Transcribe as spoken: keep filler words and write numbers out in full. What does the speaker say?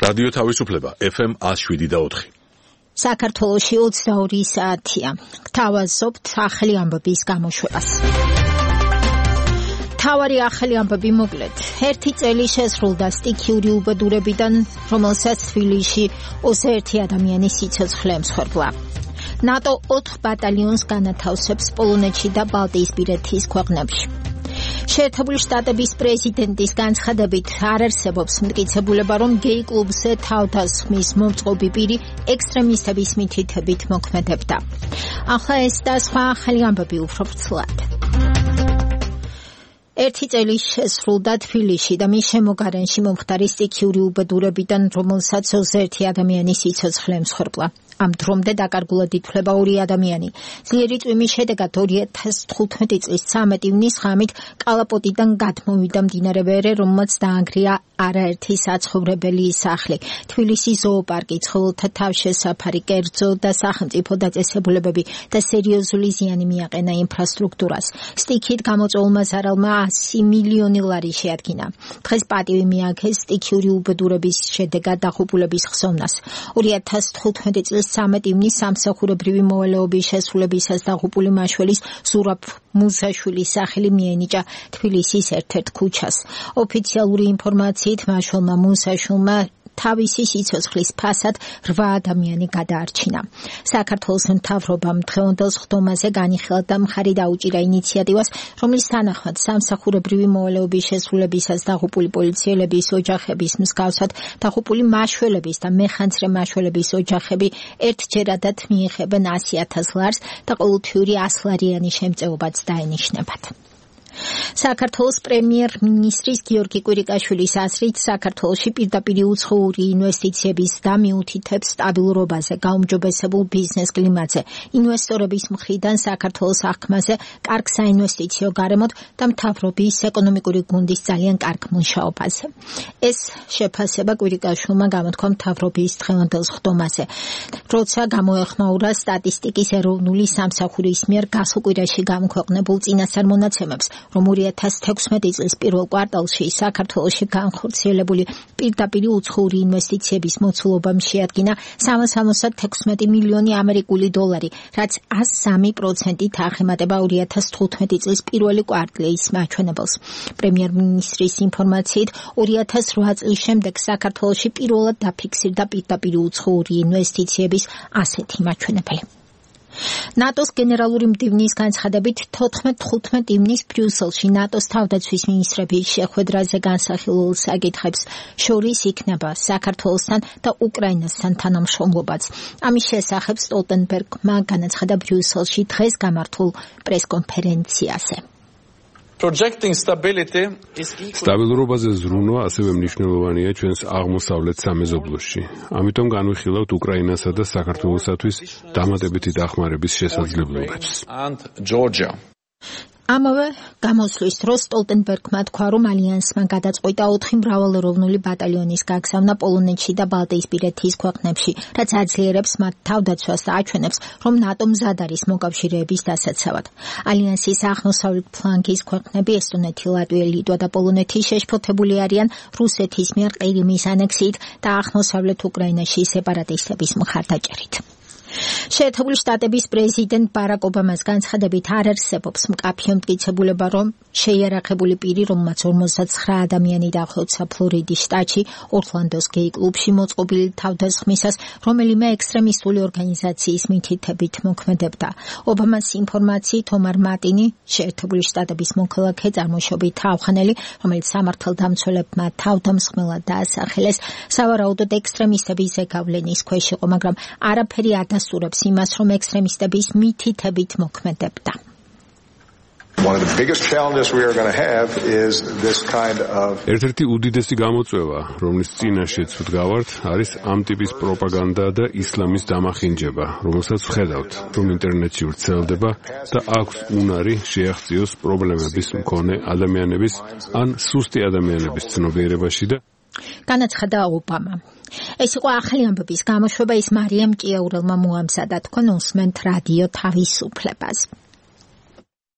რადიო თავისუფლება ეფ ემ one oh seven point four. საქართველოში ოცდაორი საათია. გთავაზობთ ახალი ამბების გამოშვებას. თავარი ახალი ამბები მოკლედ. ერთი წელი შესრულდა სტიქიური უბედურებიდან, რომელსაც თბილისში ოცდაერთი ადამიანის სიცოცხლე ემსხვერპლა. ნატო ოთხ ბატალიონს განათავსებს პოლონეთში და ბალტიისპირეთის ქვეყნებში. შეერთებული შტატების პრეზიდენტის განცხადებით არ არსებობს მტკიცებულება, რომ გეი კლუბზე თავდასხმის მომწყობი პირი ექსტრემისტების მითითებით მოქმედებდა. ახლა ეს და სხვა ახალი ამბები უფრო ვრცლად. ერთი წელი შესრულდა თბილისში და მის შემოგარენში მომხდარი სტიქიური უბედურებიდან, რომელსაც ოცდაერთი ადამიანის სიცოცხლე ემსხვერპლა. ამ დრომდე დაკარგულად ითვლება ორი ადამიანი. ძლიერი წვიმის შედეგად ორი ათას თხუთმეტი წლის ცამეტი ივნის ღამით კალაპოტიდან გადმოვიდა მდინარე ვერე, რომელმაც დაანგრია არაერთი საცხოვრებელი სახლი. თბილისის ზოოპარკი, ცხოველთა თავშესაფარი, კერძო და სახელმწიფო დაწესებულებები და სერიოზული ზიანი მიაყენა ინფრასტრუქტურას. სტიქით გამოწვეულმა ზარალმა ასი მილიონი ლარი შეადგინა. დღეს პატივი მიაქეს სტიქიური უბედურების შედეგად დაღუპულების ხსოვნას. ორი ათას თხუთმეტი წლის ცამეტი ივნის სამსახურებრივი მოვალეობის შესრულებისას დაღუპული მაშველის ზურაბ მუსაშვილის სახელი მიენიჭა თბილისის ერთ-ერთ ქუჩას. ოფიციალური ინფორმაციით მაშველმა მუსაშვილმა თავისი სიცოცხლის ფასად რვა ადამიანი გადაარჩინა. საქართველოს მთავრობამ დღევანდელ სხდომაზე განიხილა და მხარი დაუჭირა ინიციატივას, რომლის თანახმად სამსახურებრივი მოვალეობის შესრულებისას დაღუპული პოლიციელების ოჯახების მსგავსად დაღუპული მაშველების და მეხანძრე მაშველების ოჯახები ერთჯერადად მიიღებენ ასი ათას ლარს და ყოველთვიური ასლარიანი შემწეობაც დაენიშნებათ. საქართველოს პრემიერ-მინისტრის გიორგი კვირიკაშვილის აზრით, საქართველოში პირდაპირ უცხოური ინვესტიციების და მიუთითებს სტაბილურობაზე, გაუმჯობესებულ ბიზნეს კლიმატზე, ინვესტორების მხრიდან საქართველოს აღქმაზე, კარგ საინვესტიციო გარემოთ და მთავრობის ეკონომიკური გუნდის ძალიან კარგ მუშაობაზე. ეს შეფასება კვირიკაშვილმა გამოთქვა მთავრობის დღევანდელ სხდომაზე, როცა გამოეხმაურა სტატისტიკის ეროვნული სამსახურის მიერ გასულ კვირაში გამოქვეყნებულ წინასწარ მონაცემებს, რომ ორი ათას თექვსმეტი წლის პირველ კვარტალში საქართველოში განხორციელებული პირდაპირ უცხოური ინვესტიციების მოცულობამ შეადგინა სამას ორმოცდათექვსმეტი მილიონი ამერიკული დოლარი, რაც ასი სამი პროცენტით აღემატება ორი ათას თხუთმეტი წლის პირველი კვარტლის მაჩვენებელს. პრემიერ-მინისტრის ინფორმაციით, ორი ათას რვა წლის შემდეგ საქართველოში პირველად დაფიქსირდა პირდაპირ უცხოური ინვესტიციების ასეთი მაჩვენებელი. ნატოს გენერალური მდივნის განცხადებით თოთხმეტ თხუთმეტ ივნის ბრიუსელში ნატოს თავდაცვის მინისტრების შეხვედრაზე განსახილულ საკითხებს შორის იქნება საქართველოსთან და უკრაინასთან თანამშრომლობაც. ამის შესახებ სტოლტენბერგმა განაცხადა ბრიუსელში დღეს გამართულ პრესკონფერენციაზე. სტაბილურობაზე ზრუნვა ასევე მნიშვნელოვანია ჩვენს აღმოსავლეთ სამეზობლოში. ამიტომ განვიხილავთ უკრაინასა და საქართველოსათვის დამატებითი დახმარების შესაძლებლობებს. ამავე გამოსვლის დროს სტოლტენბერგმა თქვა, რომ ალიანსმა გადაწყვიტა ოთხი მრავალეროვნული ბატალიონის გაგზავნა პოლონეთში და ბალტიისპირეთის ქვეყნებში, რაც აძლიერებს მათ თავდაცვას და აჩვენებს, რომ ნატო მზად არის მოკავშირეების დასაცავად. ალიანსის აღმოსავლეთ ფლანგის ქვეყნები ესტონეთი, ლატვია, ლიტვა და პოლონეთი შეშფოთებული არიან რუსეთის მიერ ყირიმის ანექსიით და აღმოსავლეთ უკრაინაში სეპარატისტების მხარდაჭერით. შეერთებული შტატების პრეზიდენტ ბარაკ ობამას განცხადებით არ არსებობს მკაფიო მტკიცებულება, რომ შეიარაღებული პირი, რომელმაც ორმოცდაცხრა ადამიანი დახოცა ფლორიდის შტატში ორლანდოს გეი კლუბში მოწყობილი თავდასხმისას, რომელიმე ექსტრემისტული ორგანიზაციის მითითებით მოქმედებდა. ობამას ინფორმაციით ომარ მატინი, შეერთებული შტატების მოქალაქე წარმოშობით ავღანელი, რომელიც სამართალდამცველებმა თავდამსხმელად დაასახელეს, სავარაუდოდ ექსტრემისტების ზეგავლენის ქვეშ იყო, მაგრამ არაფერი არ დასტურებს იმას, რომ ექსტრემისტების მითითებით მოქმედებდა. ერთ-ერთი უდიდესი გამოწვევა, რომლის წინაშეც ვდგავართ, არის ამ ტიპის პროპაგანდა და ისლამის დამახინჯება, რომელსაც ვხედავთ, რომ ინტერნეტში ვრცელდება და აქვს უნარი შეაღწიოს პრობლემების მქონე ადამიანების ან სუსტი ადამიანების ცნობიერებაში და განაცხადა ობამა. ეს იყო ახალი ამბების გამოშვება, ის მარიამ ჭიაურელმა მოამზადა, თქვენ უსმენთ რადიო თავისუფლებას.